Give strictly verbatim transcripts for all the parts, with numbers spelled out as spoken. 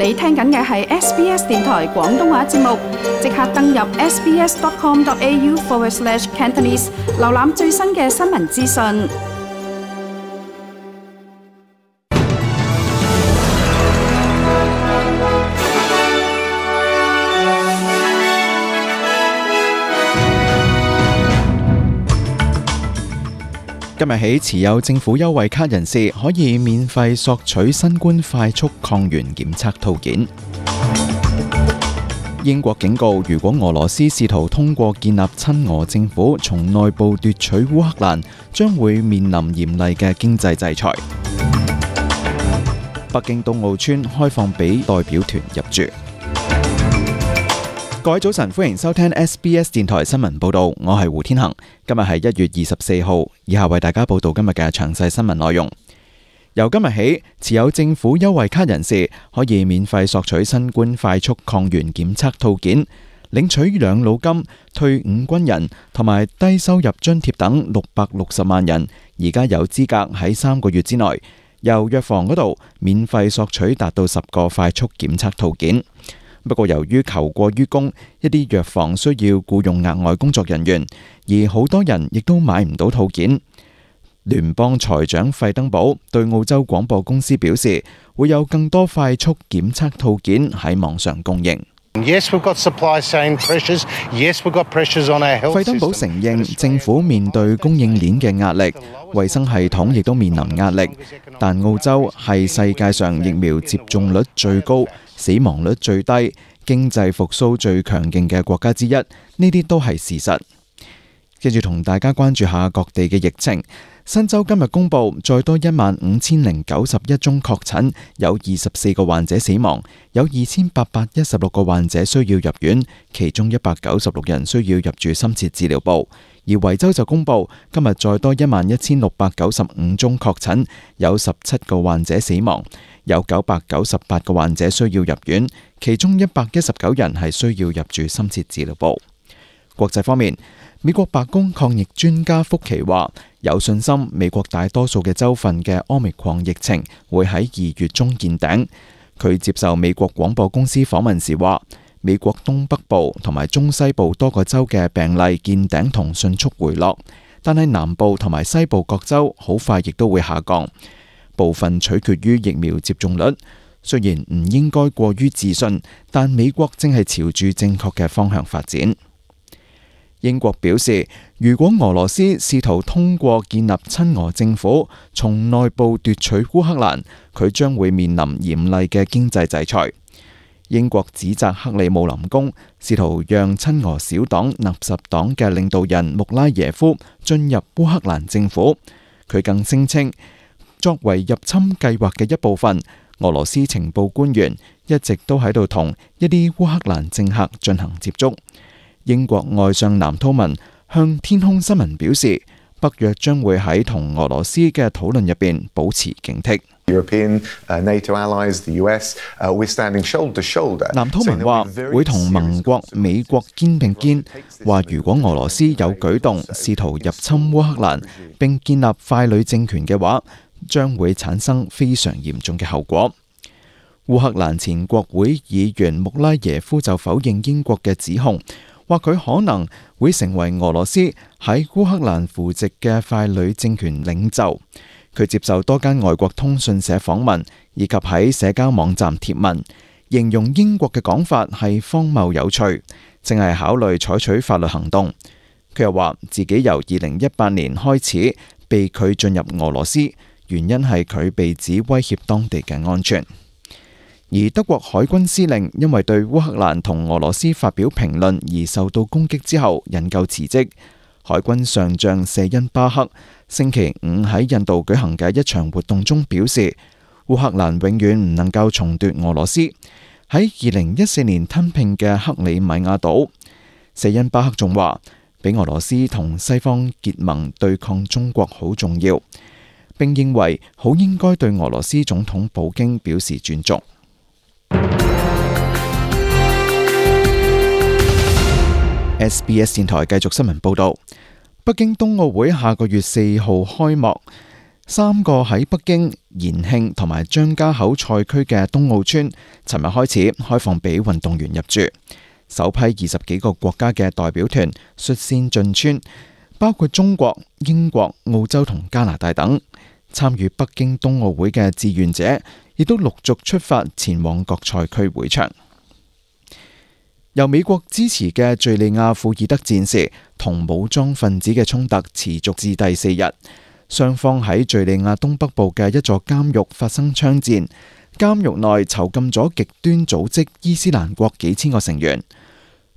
你聽緊嘅係 S B S 電台廣東話節目，即刻登入 sbs.com.au forward slash Cantonese， 瀏覽最新嘅新聞資訊。今日起，持有政府優惠卡人士可以免費索取新冠快速抗原檢測套件。英國警告，如果俄羅斯試圖通過建立親俄政府，從內部奪取烏克蘭，將會面臨嚴厲嘅經濟制裁。北京冬奧村開放俾代表團入住。各位早晨，歡迎收聽 S B S 電台新聞報道，我係胡天恒。今日係一月二十四號，以下為大家報道今日嘅詳細新聞內容。由今日起，持有政府優惠卡人士可以免費索取新冠快速抗原檢測套件，領取養老金、退伍軍人同埋低收入津貼等六百六十萬人，而家有資格喺三個月之內由藥房嗰度免費索取達到十個快速檢測套件。不過由於求過於供，一啲藥房需要僱用額外工作人員，而好多人亦都買唔到套件。聯邦財長費登堡對澳洲廣播公司表示，會有更多快速檢測套件喺網上供應。Yes, we've got supply chain pressures. Yes, we've got pressures on our health system. 費登堡承認政府面對供應鏈嘅壓力，衛生系統亦都面臨壓力，但澳洲係世界上疫苗接種率最高、死亡率最低、經濟復甦最強勁嘅國家之一，呢啲都係事實。跟住同大家關注下各地嘅疫情。新州今日公布再多一萬五千零九十一宗確診，有二十四個患者死亡，有二千八百一十六個患者需要入院，其中一百九十六人需要入住深切治療部。而維州就公布今日再多一萬一千六百九十五宗確診，有十七個患者死亡，有九百九十八個患者需要入院，其中一百一十九人係需要入住深切治療部。國際方面，美國白宮抗疫專家福奇話，有信心美國大多數嘅州份嘅奧密克戎疫情會喺二月中見頂。佢接受美國廣播公司訪問時話，美國東北部同埋中西部多個州嘅病例見頂同迅速回落，但係南部同埋西部各州好快亦都會下降。部分取決於疫苗接種率。雖然唔應該過於自信，但美國正係朝住正確嘅方向發展。英國表示，如果俄羅斯試圖通過建立親俄政府，從內部奪取烏克蘭，佢將會面臨嚴厲嘅經濟制裁。英國指責克里姆林宮試圖讓親俄小黨納什黨嘅領導人穆拉耶夫進入烏克蘭政府。佢更聲稱，作為入侵計劃嘅一部分，俄羅斯情報官員一直都喺度同一啲烏克蘭政客進行接觸。英國外相藍韜文向天空新聞表示，北約將會喺同俄羅斯嘅討論入邊保持警惕。European, uh, NATO allies, the U S, uh, we're standing shoulder to shoulder. 藍韜文話會同盟國美國肩並肩，話如果俄羅斯有舉動試圖入侵烏克蘭並建立傀儡政權嘅話，將會產生非常嚴重嘅後果。烏克蘭前國會議員穆拉耶夫就否認英國嘅指控，話佢可能會成為俄羅斯喺烏克蘭扶植嘅傀儡政權領袖。佢接受多間外國通訊社訪問，以及喺社交網站貼文，形容英國嘅講法係荒謬有趣，正係考慮採取法律行動。佢又話自己由二零一八年開始被拒進入俄羅斯，原因係佢被指威脅當地嘅安全。而德國海軍司令因為對烏克蘭同俄羅斯發表評論而受到攻擊之後引咎辭職。海軍上將謝恩巴克星期五喺印度舉行嘅一場活動中表示，烏克蘭永遠唔能夠重奪俄羅斯喺二零一四年吞併嘅克里米亞島。謝恩巴克仲話，俾俄羅斯同西方結盟對抗中國好重要，並認為好應該對俄羅斯總統普京表示尊重。S B S 電台繼續新聞報道，北京冬奧會下個月四號開幕。三個喺北京、延慶同埋張家口賽區嘅冬奧村，尋日開始開放俾運動員入住。首批二十幾個國家嘅代表團率先進村，包括中國、英國、澳洲同加拿大等。參與北京冬奧會嘅志願者亦都陸續出發前往各賽區會場。由美國支持嘅敘利亞庫爾德戰士同武裝分子嘅衝突持續至第四日，雙方喺敘利亞東北部嘅一座監獄發生槍戰，監獄內囚禁咗極端組織伊斯蘭國幾千個成員。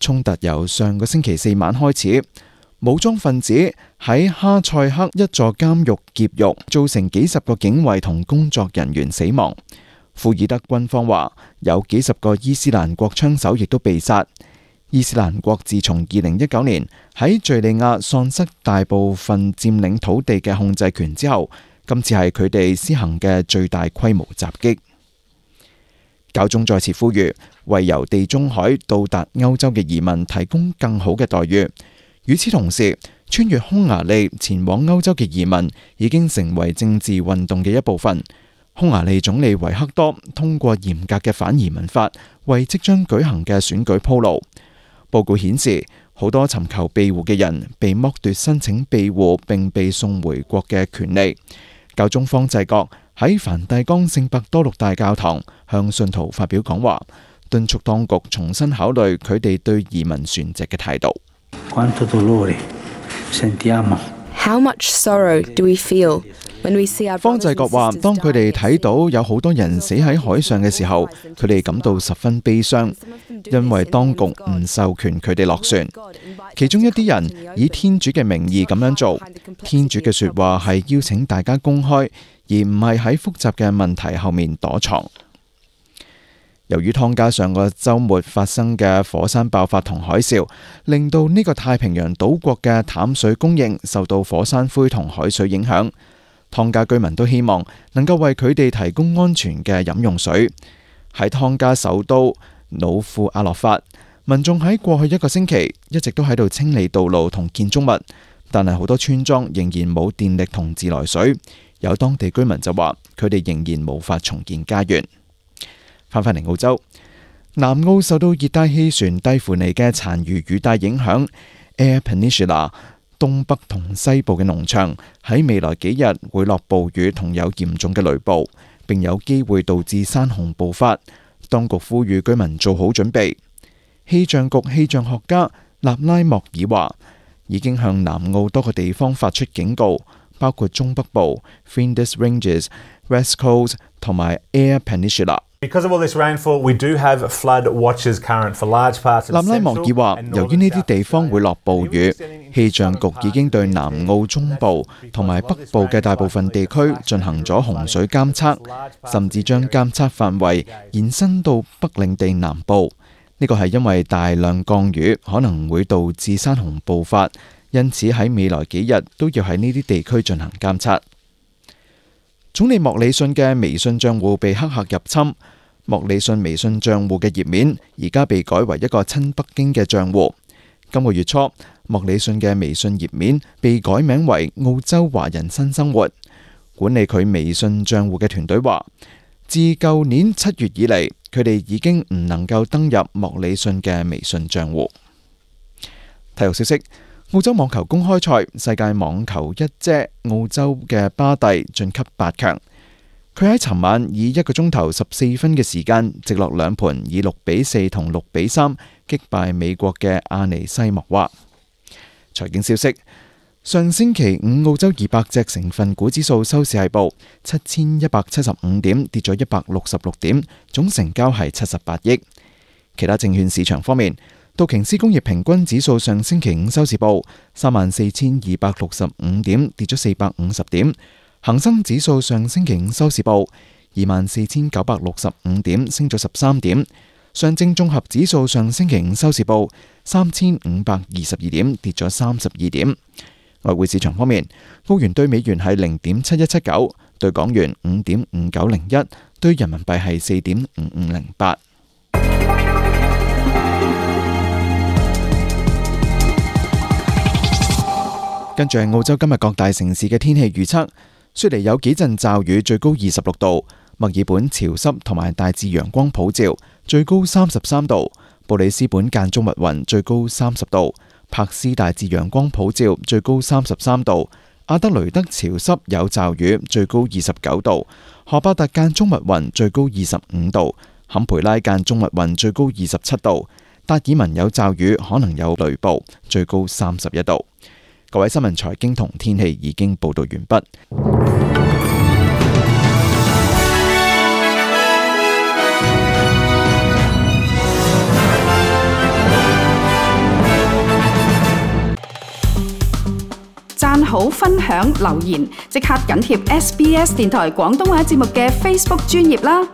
衝突由上個星期四晚開始，武裝分子喺哈塞克一座監獄劫獄，造成幾十個警衛同工作人員死亡。庫爾德軍方話有幾十個伊斯蘭國槍手亦都被殺。伊斯蘭國自從二零一九年喺敘利亞喪失大部分佔領土地嘅控制權之後，今次係佢哋施行嘅最大規模襲擊。教宗再次呼籲為由地中海到達歐洲嘅移民提供更好嘅待遇。與此同時，穿越匈牙利前往歐洲嘅移民已經成為政治運動嘅一部分。匈牙利總理維克多通過嚴格嘅反移民法，為即將舉行嘅選舉鋪路。報告顯示，好多尋求庇護嘅人被剝奪申請庇護並被送回國嘅權利。教宗方濟各喺梵蒂岡聖伯多祿大教堂向信徒發表講話，敦促當局重新考慮佢哋對移民船隻嘅態度。How much sorrow do we feel when we see our 方濟各話，當佢哋睇到有好多人死喺海上嘅時候，佢哋感到十分悲傷，因為當局唔授權佢哋落船。其中一啲人以天主嘅名義咁樣做，天主嘅說話係邀請大家公開，而唔係喺複雜嘅問題後面躲藏。由於湯加上個週末發生嘅火山爆發同海嘯，令到呢個太平洋島國嘅淡水供應受到火山灰同海水影響。湯加居民都希望能夠為佢哋提供安全嘅飲用水。喺湯加首都努庫阿洛法，民眾喺過去一個星期一直都喺度清理道路同建築物，但係好多村莊仍然冇電力同自來水。有當地居民就話，佢哋仍然無法重建家園。翻返嚟澳洲，南澳受到熱帶氣旋蒂芙尼嘅殘餘雨帶影響 ，Eyre Peninsula 東北同西部嘅農場喺未來幾日會落暴雨同有嚴重嘅雷暴，並有機會導致山洪暴發。當局呼籲居民做好準備。氣象局氣象學家納拉莫爾話，已經向南澳多個地方發出警告，包括中北部、Flinders Ranges、West Coast 同埋 Eyre Peninsula。Because of all this rainfall, we do have flood watches current for large parts of南拉莫爾話，由於呢啲地方會落暴雨，氣象局已經對南澳中部同埋北部嘅大部分地區進行咗洪水監測，甚至將監測範圍延伸到北領地南部。呢個係因為大量降雨可能會導致山洪暴發，因此喺未來幾日都要喺呢啲地區進行監測。總理莫里遜嘅微信賬戶被黑客入侵，莫里遜微信賬戶嘅頁面而家被改為一個親北京嘅賬戶。今個月初，莫里遜嘅微信頁面被改名為澳洲華人新生活。管理佢微信賬戶嘅團隊話，自舊年七月以嚟，佢哋已經唔能夠登入莫里遜嘅微信賬戶。體育消息。澳洲網球公開賽，世界網球一姐澳洲嘅巴蒂晉級八強。佢喺尋晚以一個鐘頭十四分嘅時間，直落兩盤以六比四同六比三擊敗美國嘅阿尼西莫娃。財經消息：上星期五澳洲二百隻成分股指數收市係報七千一百七十五點，跌咗一百六十六點，總成交係七十八億。其他證券市場方面，道瓊斯工業平均指數上星期五收市報三萬四千二百六十五點，跌咗四百五十點。恒生指數上星期五收市報二萬四千九百六十五點，升咗十三點。上證綜合指數上星期五收市報三千五百二十二點，跌咗三十二點。外匯市場方面，澳元對美元係零點七一七九，對港元五點五九零一，對人民幣係四點五五零八。跟住係澳洲今日各大城市嘅天氣預測。雪梨有幾陣驟雨，最高二十六度；墨爾本潮濕同埋大致陽光普照，最高三十三度；布里斯本間中密雲，最高三十度；柏斯大致陽光普照，最高三十三度；阿德雷德潮濕有驟雨，最高二十九度；荷伯特間中密雲，最高二十五度；坎培拉間中密雲，最高二十七度；達爾文有驟雨，可能有雷暴，最高三十一度。各位新聞財經同天氣已經報道完畢。讚好、分享、留言，即刻緊貼 S B S 電台廣東話節目嘅 Facebook 專頁啦！